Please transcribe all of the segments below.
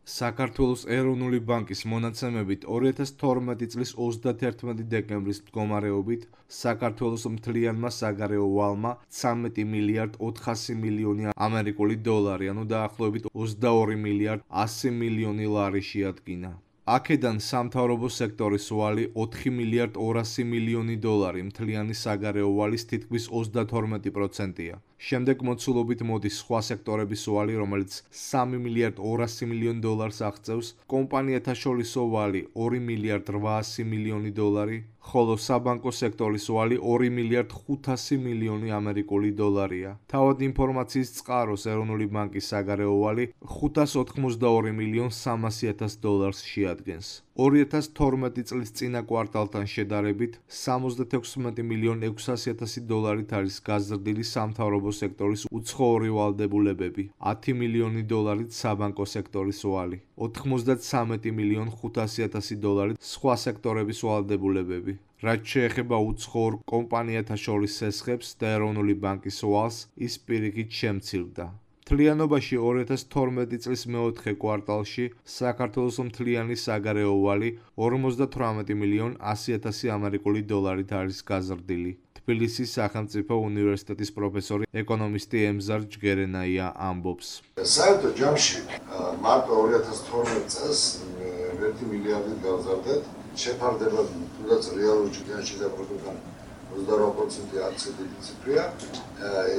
საქართველოს ეროვნული ბანკის მონაცემებით 2012 წლის 31 დეკემბრის მდგომარეობით საქართველოს მთლიანმა საგარეო ვალმა 13 მილიარდ 400 მილიონი ამერიკული დოლარი, ანუ დაახლოებით 22 მილიარდ 100 მილიონი ლარი შეადგინა. აქედან სამთავრობო სექტორის ვალი 4 მილიარდ 200 მილიონი დოლარი, მთლიანი საგარეო ვალის თითქმის 32%-ია. შემდეგ მოცულობით მოდის სხვა სექტორების ვალი, რომელიც 3 მილიარდ 200 მილიონი დოლარს აღწევს, კომპანიათა შორისო ვალი 2 მილიარდ 800 მილიონი დოლარი, ხოლო საბანკო სექტორის ვალი 2 მილიარდ 500 მილიონი ამერიკული დოლარია. თავად ინფორმაციის წყაროს ეროვნული ბანკის საგარეო ვალი 582 მილიონ 300.000 დოლარს შეადგენს. 2012 წლის წინა კვარტალთან შედარებით 76 მილიონ 600.000 დოლარით არის გაზრდილი სამთავრობო სექტორის უცხოური ვალდებულებები, 10 მილიონი დოლარით საბანკო სექტორის ვალი, 93 მილიონ 500.000 დოლარით სხვა სექტორების ვალდებულებები. რაც შეეხება უცხოურ კომპანიათა შორის სესხებს და ეროვნული ბანკის ვალს, ის პირიქით შემცირდა. მთლიანობაში 2012 წლის მეოთხე კვარტალში საქართველოს მთლიანი საგარეო ვალი 58 მილიონ 100.000 ამერიკული დოლარით არის გაზრდილი. თბილისის სახელმწიფო უნივერსიტეტის პროფესორი ეკონომისტი ემზარ ჯგერენაია ამბობს. საერთო ჯამში მარტო 2012 წელს 1 მილიარდით გავზარდეთ. შეფარდება თუნდაც რეალურ ჯგუფში და პროდუქტთან 28% არც დიდი ციფრია.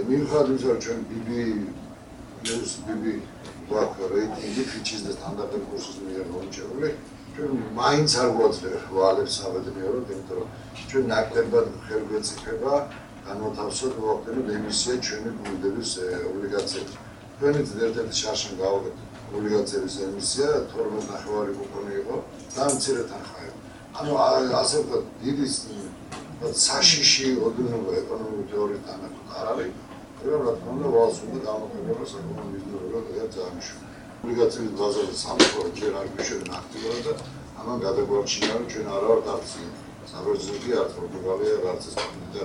მიუხედავად იმისა, რომ ჩვენ BB რეიტინგი ფიჩის და სტანდარტულ კურსის მიერ მომჭერული, ჩვენ მაინც არ გვაძლევს ვალებს საბედნიეროდ, იმიტომ რომ ჩვენ ნაკლებად ხელგვეწიფება განმოთავსოთ მოახდინოთ ემისია ჩვენი გუნდების ობლიგაციებს. ჩვენიც ერთ-ერთი შარშან გავაკეთეთ ობლიგაციების ემისია 12.5 კუპონი იყო და მცირე თანხაა. ანუ ასე ვთქვათ, დიდი საშიში ოდნობა ეკონომიკური თეორიის თანახმად არ არის. რა თქმა უნდა, ვალს უნდა გამოყენება საკუთარ ბიზნესურად და ძალიან. ობლიგაციების ბაზაზე სამწუხაროდ ჯერ არ გვიშვენ აქტიურად და ამან გადაგვარჩინა, რომ ჩვენ არ ვართ არც საბერძნეთი, არც პორტუგალია, არც ესპანეთი.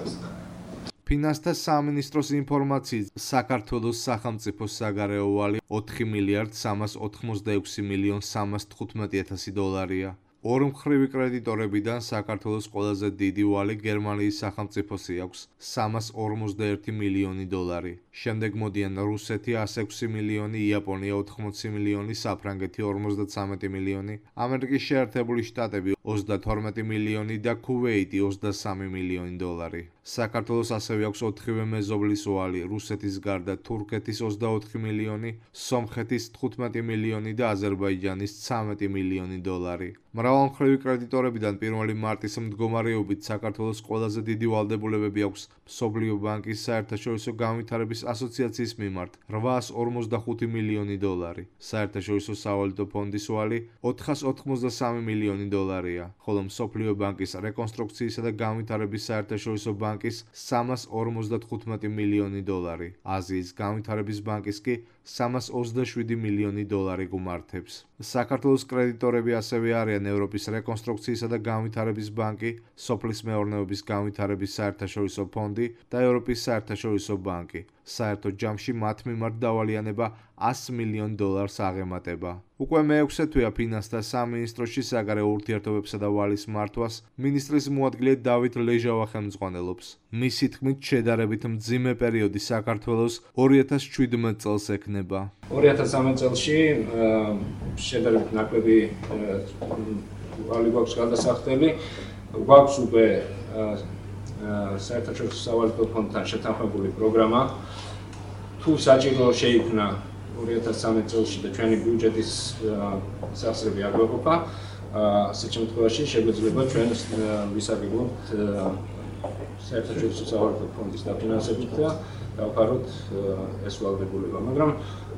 ფინანსთა სამინისტროს ინფორმაციით, საქართველოს სახელმწიფო საგარეო ვალი 4 მილიარდ 386 მილიონ 315.000 დოლარია. ორმხრივი კრედიტორებიდან საქართველოს ყველაზე დიდი ვალი გერმანიის სახელმწიფოსი აქვს 351 მილიონი დოლარი. შემდეგ მოდიან რუსეთი 106 მილიონი, იაპონია 80 მილიონი, საფრანგეთი 53 მილიონი, ამერიკის შეერთებული შტატები 32 მილიონი და ქუვეიტი 23 მილიონი დოლარი. საქართველოს ასევე აქვს 4-ვე მეზობლის ვალი, რუსეთის გარდა თურქეთის 24 მილიონი, სომხეთის 15 მილიონი და აზერბაიჯანის 13 მილიონი დოლარი. მრავალმხრივი კრედიტორებიდან 1 მარტის მდგომარეობით საქართველოს ყველაზე დიდი ვალდებულებები აქვს მსოფლიო ბანკის საერთაშორისო განვითარების ასოციაციის მიმართ 845 მილიონი დოლარი. საერთაშორისო სავალუტო ფონდის ვალი 483 მილიონი დოლარია, ხოლო მსოფლიო ბანკის რეკონსტრუქციისა და განვითარების საერთაშორისო ბანკის 355 მილიონი დოლარი. აზიის განვითარების ბანკის კი 327 მილიონი დოლარი გუმართებს. საქართველოს კრედიტორები ასევე არიან ევროპის რეკონსტრუქციისა და განვითარების ბანკი, სოფლის მეურნეობის განვითარების საერთაშორისო ფონდი და ევროპის საერთაშორისო ბანკი. საერთო ჯამში მათ მიმართ დავალიანება 100 მილიონ დოლარს აღემატება. უკვე მეექვსე თვეა ფინანსთა სამინისტროში საგარეო ურთიერთობებსა და ვალის მართვას მინისტრის მოადგილე დავით ლეჟავა ხელმძღვანელობს. მისი თქმით, შედარებით მძიმე პერიოდი საქართველოს 2017 წელს ექნება. 2013 წელში შედარებით ნაკლები ვალი გვაქვს გადასახდელი, გვაქვს უკვე საერთაშორისო სავალუტო ფონდთან შეთანხმებული პროგრამა. თუ საჭირო შეიქმნა 2013 წელში და ჩვენი ბიუჯეტის სახსრები არ გვეყოფა, ასეთ შემთხვევაში შეგვეძლება ჩვენ ვისაგებოთ საერთაშორისო სავალუტო ფონდის დაფინანსებით და დავფაროთ ეს ვალდებულება, მაგრამ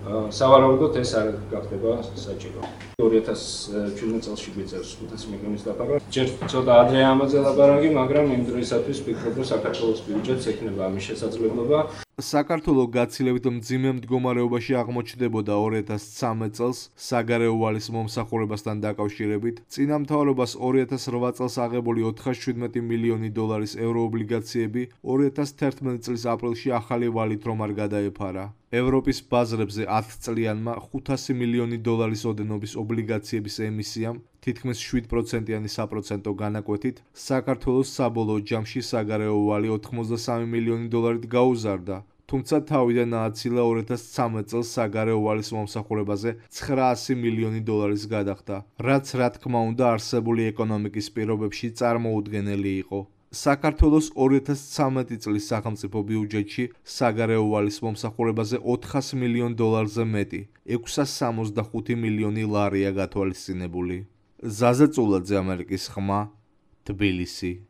სავარაუდოდ ეს არ გახდება საჭირო. 2017 წელში გვიწევს 500 მილიონის დაფარვა. ჯერ ცოტა ადრეა ამაზე ლაპარაკი, მაგრამ იმ დროისათვის ვფიქრობ, რომ საქართველოს ბიუჯეტს ექნება ამის შესაძლებლობა. საქართველოს გაცილებით მძიმე მდგომარეობაში აღმოჩნდებოდა 2013 წელს საგარეო ვალის მომსახურებასთან დაკავშირებით. წინა მთავრობას 2008 წელს აღებული 417 მილიონი დოლარის ევროობლიგაციები 2011 წლის აპრილში ახალი ვალით რომ არ გადაეფარა. ევროპის ბაზრებზე 10 წლიანმა 500 მილიონი დოლარის ოდენობის ობლიგაციების ემისიამ თითქმის 7%-იანი საპროცენტო განაკვეთით საქართველოს საბოლოო ჯამში საგარეო ვალი 83 მილიონი დოლარით გაუზარდა. თუმცა თავიდან ააცილა 2013 წელს საგარეო ვალის მომსახურებაზე 900 მილიონი დოლარის გადახდა, რაც რა თქმა უნდა არსებული ეკონომიკის პირობებში წარმოუდგენელი იყო. საქართველოს 2013 წლის სახელმწიფო ბიუჯეტში საგარეო ვალის მომსახურებაზე 400 მილიონ დოლარზე მეტი, 665 მილიონი ლარია გათვალისწინებული. ზაზა წულაძე, ამერიკის ხმა, თბილისი.